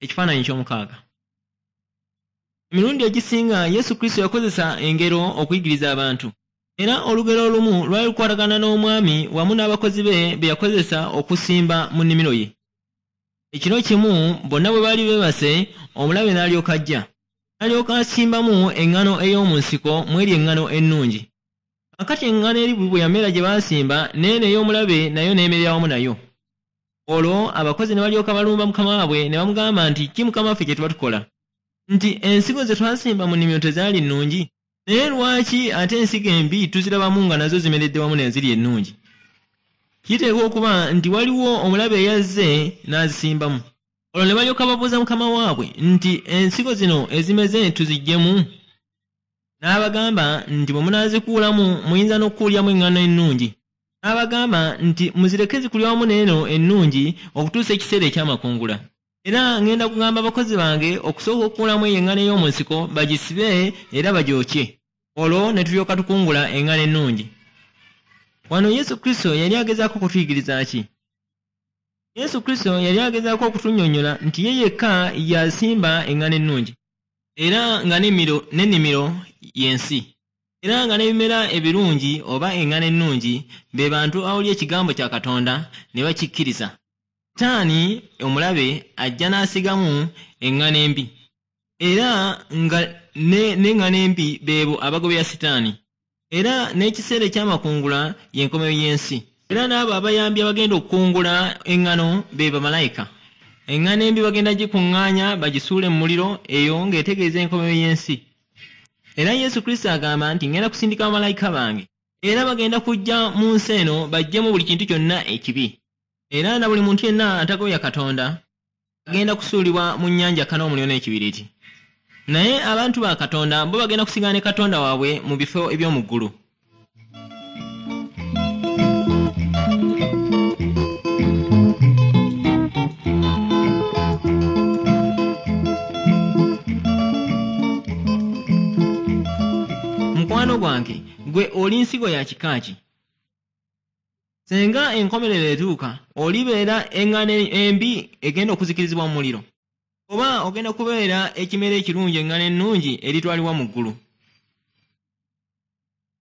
Ekifaananyi ky'omukaaga. Emirundi egisinga Yesu Kristo yakozesa engero okuyigiriza abantu. Era olugero olumu lwali lukwatagana n'omwami wamu n'abakozi be be yakozesa okusimba mu nnimiro ye. Ekiro kimu bonna bwe baali beebase, omulabe n'alyoka ajja. N'alyoka asimbamu eŋŋano ey'omu nsiko mu eri eŋŋano ennungi. Kaakati eŋŋano eri bwe yamera gye baasimba, n'eno ey'omulabe nayo n'emerera wamu nayo. Olwo abakozi ne balyoka balumba mukama waabwe ne bamugamba nti, Ki mukama waffe kye tuba tukola? Nti ensigo ze twasimba mu nnimiro tezaali nnungi? Naye lwaki ate ensigo embi tuzirabamu nga nazo zimeredde wamu n'eziri ennungi? Kiteekwa okuba nti waliwo omulabe eyazze n'azisimbamu. Olwo ne balyoka babuuza mukama waabwe nti, Ensigo zino ezimeze tuziggyemu? N'abagamba nti, Bwe munaazikuulamu muyinza n'okukuuliramu eŋŋano ennungi. N'abagamba nti, Muzireke zikulire wamu n'eno ennungi okutuusa ekiseera eky'amakungula. Era ŋŋenda kugamba abakozi bange okusooka okukuulamu eyo eŋŋano ey'omu nsiko bagisibe era bagyokye. Olwo ne tulyoka tukungula eŋŋano ennungi. Wano Yesu Kristo yali agezaako kutuyigiriza ki? Yesu Kristo yali agezaako okutunnyonnyola nti ye yekka y'asimba eŋŋano ennungi. Era nga n'ennimiro y'ensi. Era nga n'ebimera ebirungi oba eŋŋano ennungi be bantu abawulira ekigambo kya Katonda ne bakikkiriza. Sitaani omulabe ajja n'asigamu eŋŋano embi. Era nga n'eŋŋano embi beebo abagoberera Sitaani. Era n'ekiseera eky'amakungula y'enkomerero y'ensi. Era n'abo abayambi abagenda okukungula eŋŋano be bamalayika. Eŋŋano embi bagenda gikuŋŋaanya bagisuule mu muliro, eyo ng'etegeeza enkomerero y'ensi. Era Yesu Kristo agamba nti, Ŋŋenda kusindika bamalayika bange. Era bagenda kujja mu nsi eno baggyemu buli kintu kyonna ekibi. Era na buli muntu yenna atagoberera Katonda agenda kusuulibwa mu nnyanja kana omuliro n'ekibiriiti. Naye abantu ba Katonda bo bagenda kusigala ne Katonda waabwe mu bifo eby'omu ggulu. Mukwano gwange, ggwe oli nsigo ya kika ki? Senga enkomerero etuuka, olibeera eŋŋano embi egenda okuzikirizibwa mu muliro? Oba ogenda kubeera ekimera ekirungi eŋŋano ennungi eritwalibwa mu ggulu?